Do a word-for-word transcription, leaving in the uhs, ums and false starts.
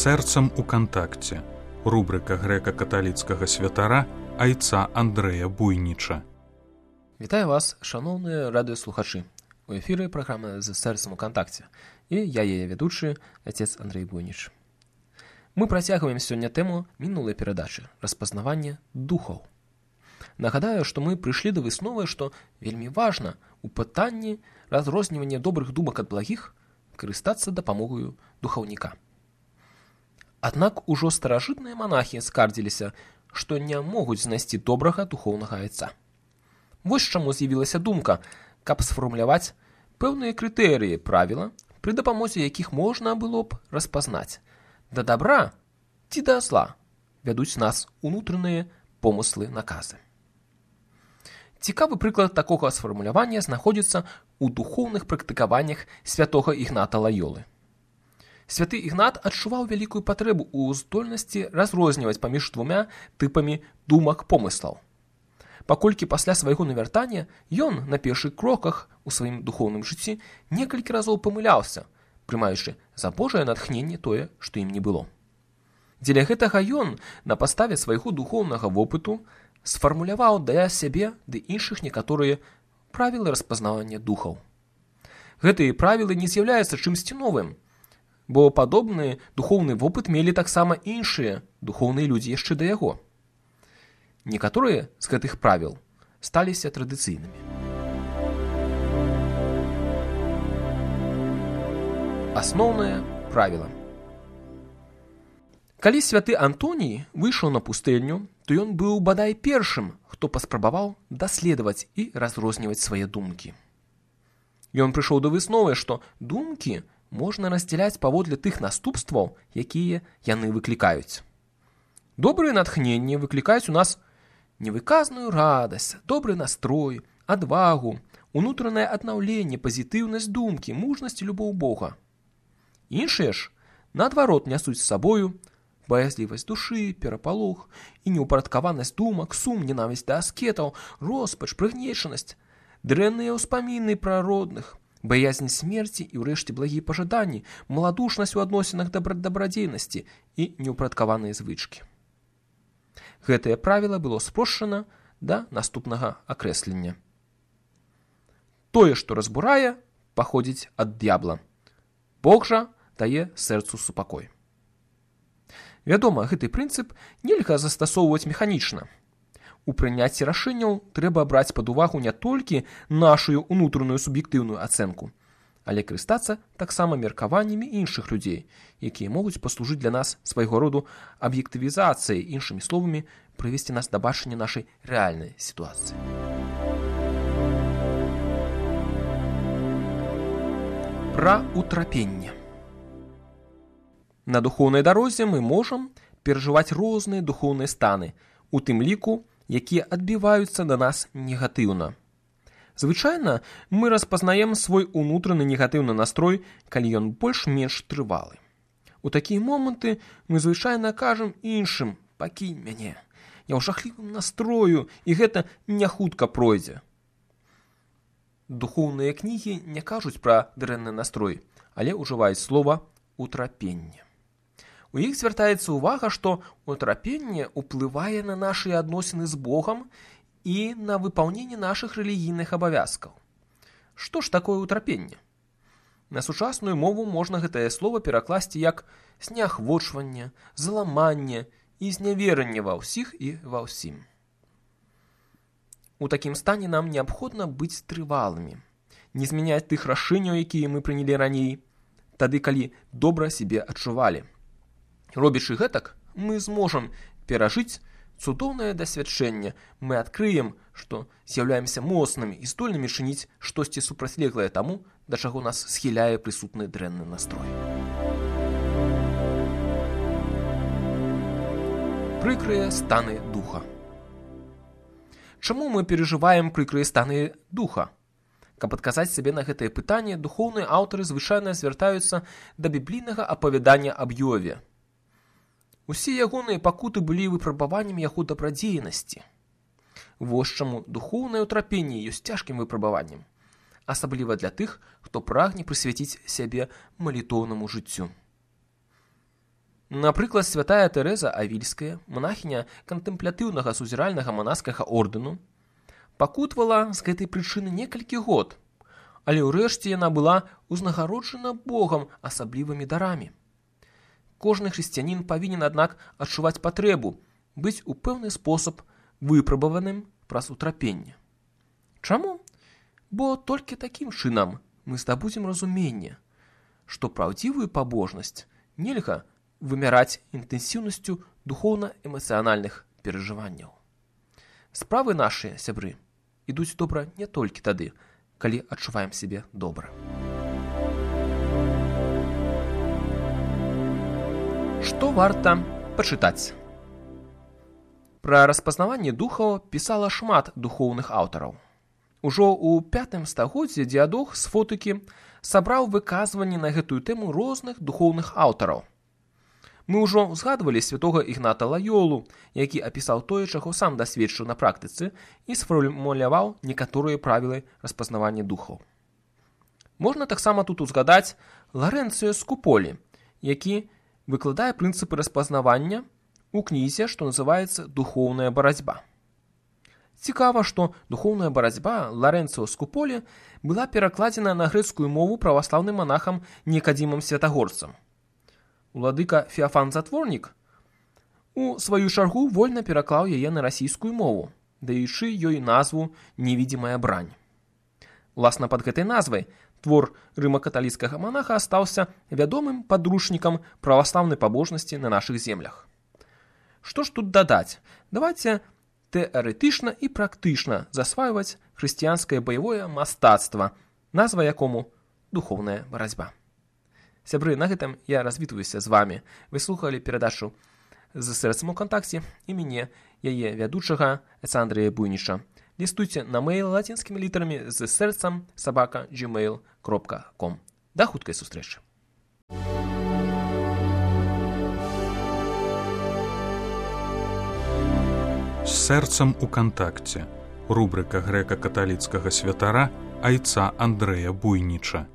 Сэрцам у кантакце. Рубрика грэка-каталіцкага святара айца Андрэя Буйніча. Вітаю вас, шановныя радыёслухачы. У эфіры праграма «З сэрцам у кантакце». І я яе ведучы, отец Андрей Буйніч. Мы працягваем сёння тэму мінулай перадачы «Распазнаванне духаў». Нагадаю, што мы прыйшлі да высновы, што вельмі важна у пытанні разрознівання добрых думак ад благіх карыстацца дапамогаю духаўніка. Аднак ужо старажытныя манахі скардзіліся, што не могуць знайсці добрага духоўнага айца. Вось чаму з'явілася думка, каб сфармуляваць пэўныя крытэрыі правіла, пры дапамозе якіх можна было б распазнаць, да добра ці да зла вядуць нас унутраныя помыслы наказы. Цікавы прыклад такога сфармулявання знаходзіцца ў духоўных практыкаваннях святога Ігната Лайолы. Святы Ігнат адчуваў вялікую патрэбу ў здольнасці разрозніваць паміж двумя тыпамі думак помыслаў. Паколькі пасля свайго навяртання ён на першых кроках у сваім духоўным жыцці некалькі разоў памыляўся, прымаючы за Божае натхненне тое, што ім не было. Дзеля гэтага ён на падставе свайго духоўнага вопыту сфармуляваў для сябе ды іншых некаторыя правілы распазнавання духаў. Гэтыя правілы не з'яўляюцца чымсьці новым, бо падобны духоўны вопыт мелі таксама іншыя духоўныя людзі яшчэ да яго. Некаторыя з гэтых правіл сталіся традыцыйнымі. Асноўнае правіла. Калі святы Антоній выйшаў на пустэльню, то ён быў бадай першым, хто паспрабаваў даследаваць і разрозніваць свае думкі. Ён прыйшоў да высновы, што думкі можна раздзяляць паводле тых наступстваў, якія яны выклікаюць. Добрыя натхненні выклікаюць у нас невыказную радасць, добры настрой, адвагу, унутранае аднаўленне, пазітыўнасць думкі, мужнасць і любоў Бога. Іншыя ж, наадварот, нясуць з сабою баязлівасць душы, перапалох і неўпарадкаванасць думак, сум, ненавісць да аскетаў, роспач, прыгнечанасць, дрэнныя ўспаміны пра родных, баязнь смерці і ўрэшце благія пажаданні, маладушнасць у адносінах да дабрадзейнасці і неўпарадкаваныя звычкі. Гэтае правіла было спрошчана да наступнага акрэслення. Тое, што разбурае, паходзіць ад д'ябла. Бог жа дае сэрцу супакой. Вядома, гэты прынцып нельга застасоўваць механічна. У прыняцці рашэнняў трэба браць пад увагу не толькі нашу унутраную суб'ектыўную ацэнку, але карыстацца таксама меркаваннямі іншых людзей, якія могуць паслужыць для нас свайго роду аб'ектывізацыяй, іншымі словамі, прывесці нас да бачання нашай рэальнай сітуацыі. Пра утрапенне. На духоўнай дарозе мы можам перажываць розныя духоўныя станы, у тым ліку, якія адбіваюцца да нас негатыўна. Звычайна мы распазнаем свой унутраны негатыўны настрой, калі ён больш-менш трывалы. У такія моманты мы звычайна кажам іншым: «Пакінь мяне, я ў жахлівым настрою, і гэта не хутка пройдзе». Духоўныя кнігі не кажуць пра дрэнны настрой, але ўжываюць слова «утрапенне». У іх звяртаецца ўвага, што утрапенне ўплывае на нашы адносіны з Богам і на выпаўненне нашых рэлігійных абавязкаў. Што ж такое утрапенне? На сучасную мову можна гэтае слова перакласці як зняхвочванне, заламанне і зняверанне ва ўсіх і ва ўсім. У такім стане нам неабходна быць трывалымі, не змяняць тых рашэнняў, якія мы прынялі раней, тады, калі добра сябе адчувалі. Робячы гэтак, мы зможам перажыць цудоўнае дасвядчэнне, мы адкрыем, што з'яўляемся моцнымі і здольнымі чыніць штосьці супрацьлеглае таму, да чаго нас схіляе прысутны дрэнны настрой. Прыкрыя станы духа. Чаму мы перажываем прыкрыя станы духа? Каб адказаць сабе на гэтае пытанне, духоўныя аўтары звычайна звяртаюцца да біблійнага апавядання аб Ёве. Усе ягоныя пакуты былі выпрабаваннем яго дабрадзейнасці. Вось чаму духоўнае ўтрапенне ёсць цяжкім выпрабаваннем, асабліва для тых, хто прагне прысвяціць сябе малітоўнаму жыццю. Напрыклад, святая Тэрэза Авільская, манахіня канtemплятыўнага сузіральнага манаскага ордэну, пакутвала з гэтай прычыны некалькі год, але ўрэшце яна была ўзнагароджана Богам асаблівымі дарамі. Кожны хрысціянін павінен, аднак, адчуваць патрэбу быць у пэўны спосаб выпрабаваным праз утрапенне. Чаму? Бо толькі такім чынам мы здабудзем разуменне, што праўдзівую пабожнасць нельга вымяраць інтэнсіўнасцю духоўна-эмацыянальных перажыванняў. Справы нашыя, сябры, ідуць добра не толькі тады, калі адчуваем сябе добра. Што варта пачытаць? Пра распазнаванне духаў пісала шмат духоўных аўтараў. Ужо ў пятым стагоддзі Діадох з Фотыкі сабраў выказванні на гэтую тэму розных духоўных аўтараў. Мы ўжо ўзгадвалі святога Ігната Лайолу, які апісаў тое, чаго сам дасведчыў на практыцы і сфармуляваў некаторыя правілы распазнавання духаў. Можна таксама тут узгадаць Ларэнцыё Скуполі, які выкладае прынцыпы распазнавання ў кнізе, што называецца «Духоўная барацьба». Цікава, што духоўная барацьба Ларэнцыё Скуполі была перакладзена на грэцкую мову праваслаўным монахам Нікадзімам Святагорцам. Уладыка Феафан Затворнік у сваю чаргу вольна пераклаў яе на расійскую мову, даючы ёй назву «Невідзімая брань». Уласна пад гэтай назвай твор рыма-каталіцкага монаха астаўся вядомым падручнікам праваслаўнай пабожнасці на нашых землях. Што ж тут дадаць? Давайце тэарэтычна і практычна засвайваць хрысціянскае баявое мастацтва, назва якому «Духоўная барацьба». Сябры, на гэтым я развітваюся з вамі. Вы слухалі перадачу «З сэрцам у кантакце» і мяне, яе вядучага Айца Андрэя Буйніча. Лістуйце на мэйл лацінскімі літарамі з сэрцам сабака джимейл кропка ком. Да хуткай сустрэчы. З сэрцам у кантакце. Рубрыка грэка-каталіцкага святара Айца Андрэя Буйніча.